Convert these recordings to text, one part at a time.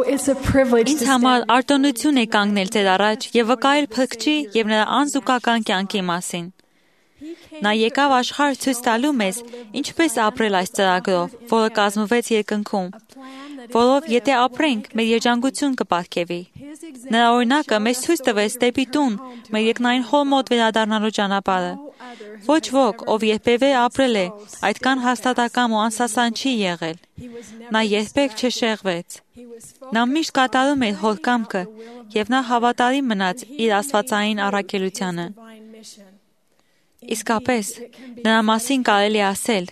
it's a privilege Ինձ համար արտոնություն է կանգնել ձեր առաջ եւ վկայել Փրկչի եւ նրա անզուգական կյանքի մասին։ Նա եկավ աշխարհ ցույց տալու մեզ ինչպես ապրել այս ծրագրով, որը կազմվեց երկնքում, որով եթե ապրենք, մեր երջանկություն կպարգևի։ Նրա օրինակը մեզ ցույց տվեց դեպի տուն, մեր երկնային հոր մոտ վերադառնալու ճանապարհը։ Ոչ ոք, ով երբևէ ապրել է, այդքան հաստատակամ ու անսասան չի եղել։ Նա երբեք չշեղվեց։ Նա միշտ կատարում էր հոր կամքը եւ նա հավատարիմ մնաց իր աստվածային առաքելությանը։ Իսկապես, նրա մասին կարելի է ասել,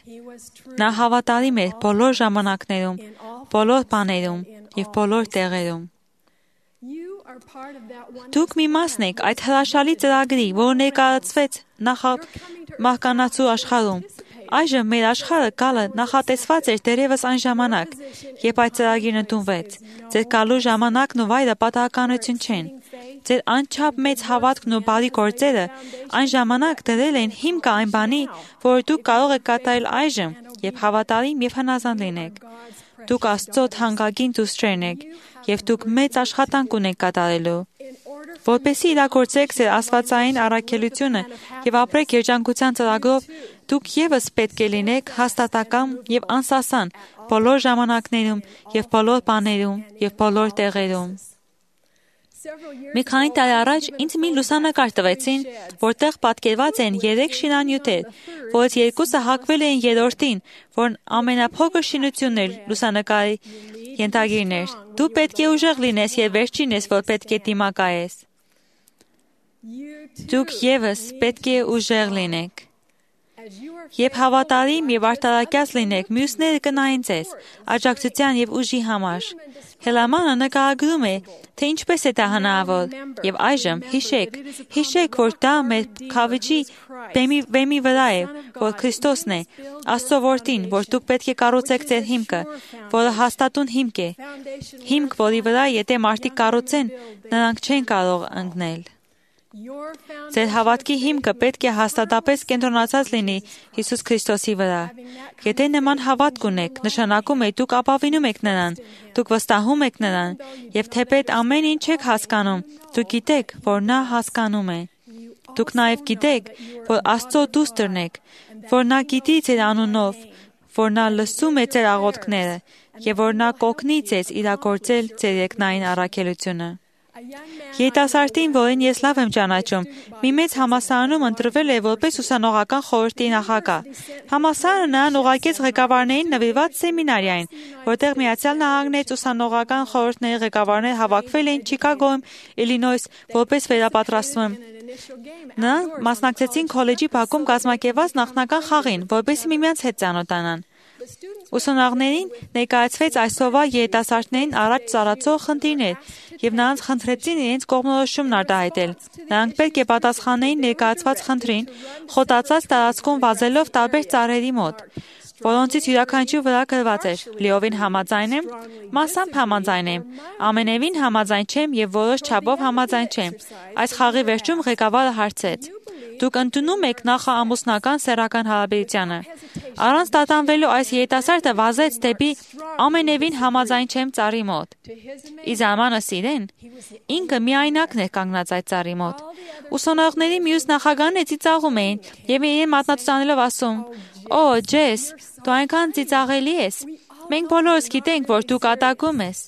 նա հավատարիմ էր բոլոր ժամանակներում, բոլոր բաներում եւ բոլոր տեղերում։ Դուք մի մասն եք այդ հրաշալի ծրագրի, որը ներկայացվեց նախամահկանացու աշխարհում։ Այժմ մեր աշխարհը գալը նախատեսված էր դերևս այն ժամանակ, երբ այդ ծրագիրն ընդունվեց։ Ձեր գալու ժամանակն ու վայրը պատահականություն չեն։ Ձեր անչափ մեծ հավատքն ու բարի գործերը այն ժամանակ դրել են հիմքը այն բանի, որը դուք կարող եք կատարել այժմ, երբ հավատարիմ եւ հնազանդ լինեք։ Դուք Աստծո թանկագին դուստրերն եք եւ դուք մեծ աշխատանք ունեք կատարելու։ Որպեսզի իրագործեք ձեր աստվածային առաքելությունը եւ ապրեք երջանկության ծրագրով, դուք եւս պետք է լինեք հաստատակամ եւ անսասան բոլոր ժամանակներում եւ բոլոր բաներում եւ բոլոր տեղերում։ Մի քանի տարի առաջ ինձ մի լուսանկար տվեցին, որտեղ պատկերված են 3 շինանյութեր, որից 2-ը հակվել էին երրորդին, որն ամենափոքր շինությունն էր լուսանկարի ենթագիրն էր։ Դու պետք է ուժեղ լինես եւ վերջին ես, որ պետք է դիմակայես։ Դուք եւս պետք է ուժեղ լինեք։ Երբ հավատարիմ եւ արտարակյաց լինեք, մյուսները կնային ձեզ, աջակցության եւ ուժի համար։ Հելամանը նկարագրում է, թե ինչպես է դա հնարավոր, եւ այժմ հիշեք, որ դա մեր քավիճի բեմի վրա է, որ Քրիստոսն է, Աստծո որդին, որ դուք պետք է կառուցեք ձեր հիմքը, որը հաստատուն հիմք է, հիմք, որի վրա եթե մարդիկ կառուցեն, նրանք չեն կարող ընկնել։ Ձեր հավատքի հիմքը պետք է հաստատապես կենտրոնացած լինի Հիսուս Քրիստոսի վրա։ Եթե նման հավատք ունեք, նշանակում է դուք ապավինում եք նրան, դուք վստահում եք նրան, եւ թեպետ ամեն ինչ չեք հասկանում, դուք գիտեք, որ նա հասկանում է։ Դուք նաեւ գիտեք, որ Աստծո դուստրն եք, որ նա գիտի ձեր անունով, որ նա լսում է ձեր աղոթքները եւ որ նա կօգնի ձեզ իրագործել ձեր երկնային առաքելությունը։ Երիտասարդին, որին ես լավ եմ ճանաչում, մի մեծ համալսարանում ընտրվել է որպես ուսանողական խորհրդի նախագահ։ Համալսարանը նրան ուղարկեց ղեկավարներին նվիրված սեմինարիային, որտեղ Միացյալ Նահանգներից ուսանողական խորհուրդների ղեկավարներ հավաքվել էին Չիկագոյում, Իլինոյս, որպես վերապատրաստում։ Նրանք մասնակցեցին քոլեջի բակում կազմակերպված նախնական խաղին, որպեսզի միմյանց հետ ծանոթանան։ Ուսանողներին ներկայացվեց այսօրվա երիտասարդներին առաջ ծառացող խնդիրներ եւ նրանց խնդրեցին իրենց կողմնորոշումն արտահայտել։ Նրանք պետք է պատասխանեին ներկայացված խնդրին, խոտացած տարածքում վազելով տարբեր ծառերի մոտ, որոնցից յուրաքանչյուր վրա գրված էր. լիովին համաձայն եմ, մասամբ համաձայն եմ, ամենևին համաձայն չեմ եւ որոշ չափով համաձայն չեմ։ Այս խաղի վերջում ղեկավարը հարցեց. Դուք ընդունում եք նախաամուսնական սեռական հարաբերությանը։ Առանց տատանվելու այս երիտասարդը վազեց դեպի ամենևին համաձայն չեմ ծառի մոտ։ Ի զարմանս իրեն, ինքը միայնակն էր կանգնած այդ ծառի մոտ։ Ուսանողների մյուս նախագահները ծիծաղում էին եւ իրեն մատնացուցանելով ասում. «Օ, Ջես, դու այնքան ծիծաղելի ես։ Մենք բոլորս գիտենք, որ դու կատակում ես»։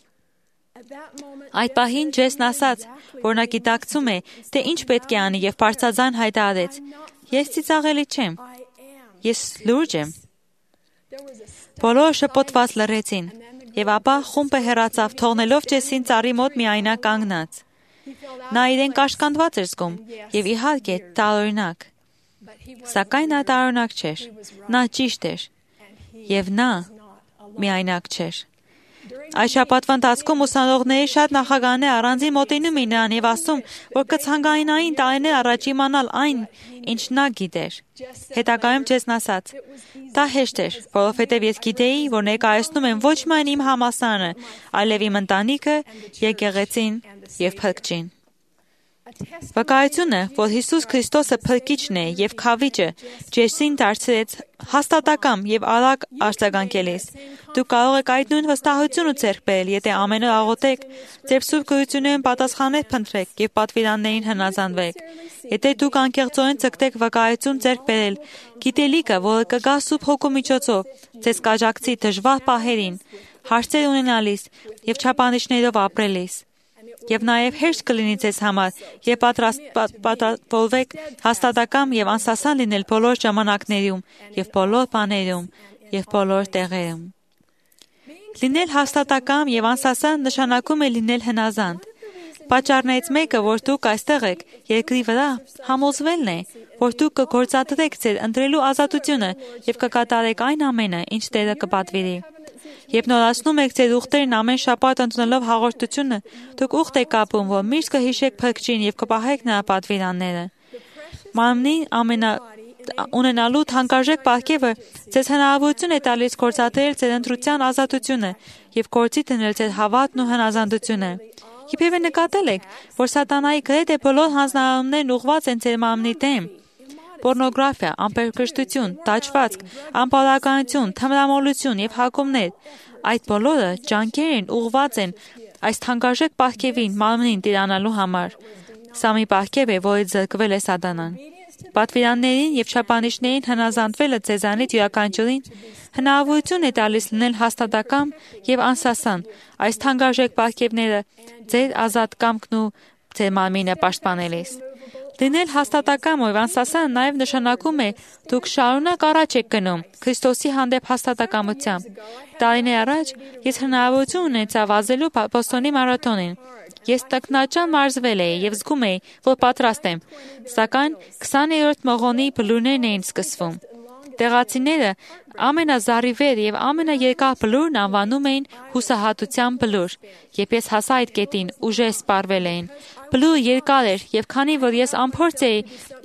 Այդ պահին Ջեսն ասաց, որ նա գիտակցում է, թե ինչ պետք է անի եւ բարձրաձայն հայտարարեց. «Ես ծիծաղելի չեմ։ Ես լուրջ եմ»։ Բոլորը շփոթված լռեցին, եւ ապա խումբը հեռացավ, թողնելով Ջեսին ծառի մոտ միայնակ կանգնած։ Նա իրեն կաշկանդված էր զգում եւ իհարկե տարօրինակ։ Սակայն նա տարօրինակ չէր։ Նա ճիշտ էր եւ նա միայնակ չէր։ Այս շաբաթվա ընթացքում ուսանողների շատ նախագահներ առանձին մոտենում էին նրան եւ ասում, որ կցանկանային տարիներ առաջ իմանալ այն, ինչ նա գիտեր։ Հետագայում Ջեսն ասաց. «Դա հեշտ էր, որովհետեւ ես գիտեի, որ ներկայացնում եմ ոչ միայն իմ համալսարանը, այլև իմ ընտանիքը, եկեղեցին եւ Փրկչին»։ Վկայությունը, որ Հիսուս Քրիստոսը փրկիչն է եւ խավիճը, Ջեսին դարձրեց հաստատակամ եւ արագ արձագանքելիս։ Դուք կարող եք այդ նույն վստահությունը ձեռք բերել, եթե ամեն օր աղոթեք, ձեր սուրբ գոյություններին պատասխաններ փնտրեք եւ պատվիրաններին հնազանդվեք։ Եթե դուք անկեղծորեն ցկտեք վկայություն ձեռք բերել, գիտելիքը, որը կգա Սուրբ Հոգու միջոցով, ձեզ կաջակցի դժվար պահերին, հարցեր ունենալիս եւ չափանիշներով ապրելիս։ Եվ նաև հեշտ կլինի ձեզ համար, եւ պատրաստվեք հաստատակամ եւ անսասան լինել բոլոր ժամանակներում եւ բոլոր բաներում եւ բոլոր տեղերում։ Լինել հաստատակամ եւ անսասան նշանակում է լինել հնազանդ։ Պատճառներից մեկը, որ դուք այստեղ եք, երկրի վրա, համոզվելն է, որ դուք կգործադրեք ձեր ընտրելու ազատությունը եւ կկատարեք այն ամենը, ինչ Տերը կպատվիրի։ Երբ նորացնում եք ձեր ուխտերն ամեն շաբաթ ընդունելով հաղորդությունը, դուք ուխտ եք կապում, որ միշտ կհիշեք Փրկչին եւ կպահեք նրա պատվիրանները։ Մարմնի ունենալու թանկարժեք պարգևը ձեզ հնարավորություն է տալիս գործադրել ձեր ընտրության ազատությունը եւ գործի դնել ձեր հավատն ու հնազանդությունը։ Իբրև նկատել եք, որ սատանայի գրեթե բոլոր հանձնարարումներն ուղղված են ձեր մարմնի դեմ։ Պորնոգրաֆիա, ամպերկրշտություն, տաճվածք, անպարականություն, թմրամոլություն եւ հակումներ, այդ բոլորը ջանքեր են ուղղված են այս թանկարժեք պարգևին մարմնին տիրանալու համար։ Սա մի պարգև է, որից զրկվել է սատանան։ Պատվիրաններին եւ չափանիշներին հնազանդվելը ձեզանից յուրաքանչյուրին հնարավորություն է տալիս լինել հաստատակամ եւ անսասան, այս թանկարժեք պարգևները ձեր ազատ կամքն ու ձեր մարմինը պաշտպանելիս։ Լինել հաստատակամ ու անսասան նաև նշանակում է դուք շարունակ առաջ եք գնում Քրիստոսի հանդեպ հաստատակամությամբ։ Տարիներ առաջ ես հնարավորություն ունեցա վազելու Բոստոնի մարաթոնին։ Ես տքնաճան մարզվել էի եւ զգում էի, որ պատրաստ եմ, սակայն 20-րդ մղոնի բլուրներն էին սկսվում։ Տեղացիները ամենազառիվեր եւ ամենաերկար բլուրն անվանում էին հուսահատության բլուր, երբ ես հասա այդ կետին, ուժեր սպառվել էին։ Բլուրը երկար էր եւ քանի որ ես անփորձ էի,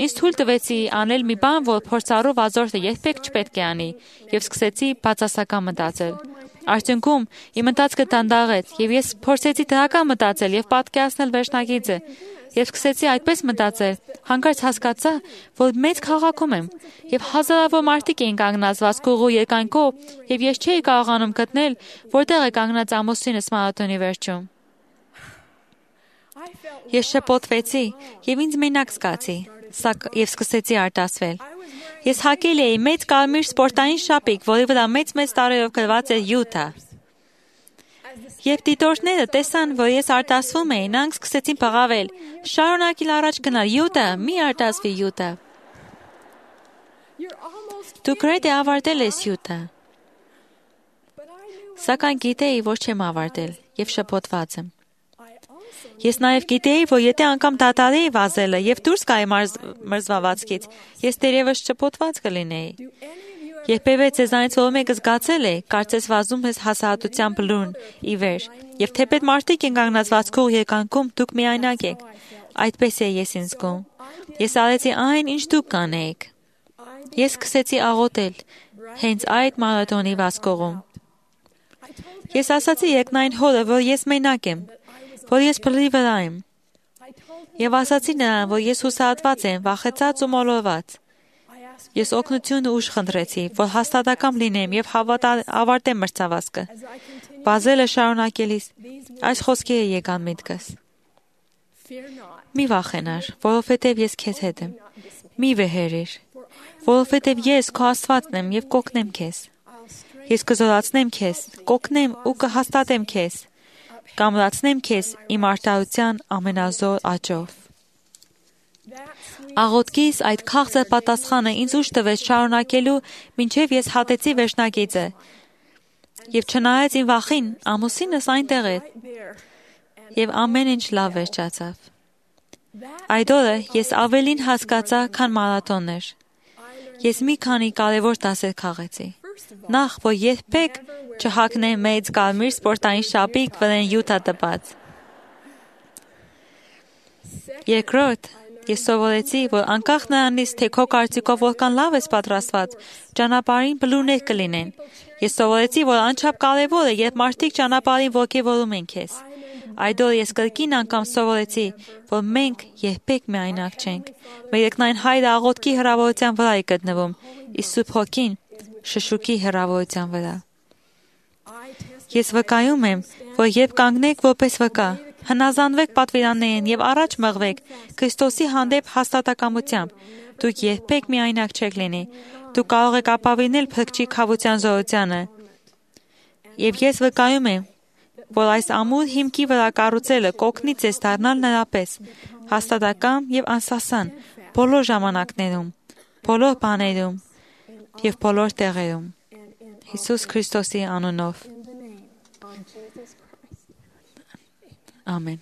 ինձ թույլ տվեցի անել մի բան, որ փորձառու վազորդը երբեք չպետք է անի, եւ սկսեցի բացասական մտածել։ Արդյունքում իմ ընթացքը դանդաղեց եւ ես փորձեցի դրական մտածել եւ պատկերացնել վերջնագիծը։ Ես սկսեցի այդպես մտածել, հանկարծ հասկացա, որ մեծ քաղաքում եմ եւ հազարավոր մարդիկ էին կանգնած վազքուղու երկայնքով եւ ես չէի կարողանում գտնել, որտեղ է կանգնած ամուսինս մարաթոնի վերջում։ Ես շփոթվեցի եւ ինձ մենակ զգացի, եւ սկսեցի արտասվել։ Ես հագել էի մեծ կարմիր սպորտային շապիկ, որի վրա մեծ տարերով գրված էր Յուտա։ Երբ դիտորդները տեսան, որ ես արտասվում էի, նրանք սկսեցին բղավել. «Շարունակիր առաջ գնալ, Յուտա, մի արտասվի, Յուտա»։ Դու գրեթե ավարտել ես, Յուտա։ Սակայն գիտեի, որ չեմ ավարտել եւ շփոթված եմ։ Ես նաև գիտեի, որ եթե անգամ դադարեի վազելը եւ դուրս գայի մրզվածքից, ես դերևս շփոթված կլինեի։ Երբևէ ձեզանից որ մեկը զգացել է, կարծես վազում ես հասարակության բլուրն ի վեր, եւ թեպետ մարդիկ են կանգնած վազքով երկայնքում, դուք միայնակ եք։ Այդպես է ես ինձ զգում։ Ես արեցի այն, ինչ դուք կանեիք։ Ես սկսեցի աղոթել հենց այդ մարաթոնի վազքողում։ Ես ասացի երկնային հորը, որ ես մենակ եմ, որ ես բլրի վրա եմ։ Եվ ասացի նրան, որ ես հուսահատված եմ, վախեցած ու մոլորված։ Ես օգնություն ու ուժ խնդրեցի, որ հաստատակամ լինեմ եւ ավարտեմ մրցավազքը։ Վազելը շարունակելիս այս խոսքերը եկան միտքս. Մի վախենար, որովհետև ես քեզ հետ եմ։ Մի վեհերիր, որովհետև ես քո Աստվածն եմ եւ կօգնեմ քեզ։ Ես կզորացնեմ քեզ, կօգնեմ ու կհաստատեմ քեզ։ Կամրացնեմ քեզ իմ արդարության ամենազոր աճով։ Աղոթքիս այդ քաղցր պատասխանը ինձ ուժ տվեց շարունակելու, մինչև ես հատեցի վերջնագիծը։ Եվ չնայած իմ վախին, ամուսինս այնտեղ էր, եւ ամեն ինչ լավ վերջացավ։ Այդ օրը ես ավելին հասկացա, քան մարաթոններ։ Ես մի քանի կարևոր դասեր քաղեցի։ Նախ, որ երբեք չհագնեմ մեծ կարմիր սպորտային շապիկ, որին Յուտա տպած։ Երկրորդ, ես սովորեցի, որ անկախ նրանից, թե քո կարծիքով որքան լավ ես պատրաստված, ճանապարհին բլուրներ կլինեն։ Ես սովորեցի, որ անչափ կարևոր է, երբ մարդիկ ճանապարհին ոգևորում են քեզ։ Այդօր ես կրկին անգամ սովորեցի, որ մենք երբեք միայնակ չենք։ Մեր երկնային Հայրը աղոթքի հրավերության վրա է գտնվում, իսկ Սուրբ Հոգին շշուկի հրավերության վրա։ Ես վկայում եմ, որ երբ կանգնեք որպես վկա, հնազանդվեք պատվիրաններին եւ առաջ մղվեք Քրիստոսի հանդեպ հաստատակամությամբ, դուք երբեք միայնակ չեք լինի։ Դուք կարող եք ապավինել փրկչի քավության զորությանը։ Եվ ես վկայում եմ, որ այս ամուր հիմքի վրա կառուցելը կօգնի ձեզ դառնալ նրա պես հաստատակամ եւ անսասան բոլոր ժամանակներում, բոլոր բաներում եւ բոլոր տեղերում։ Հիսուս Քրիստոսի անունով։ Ամեն։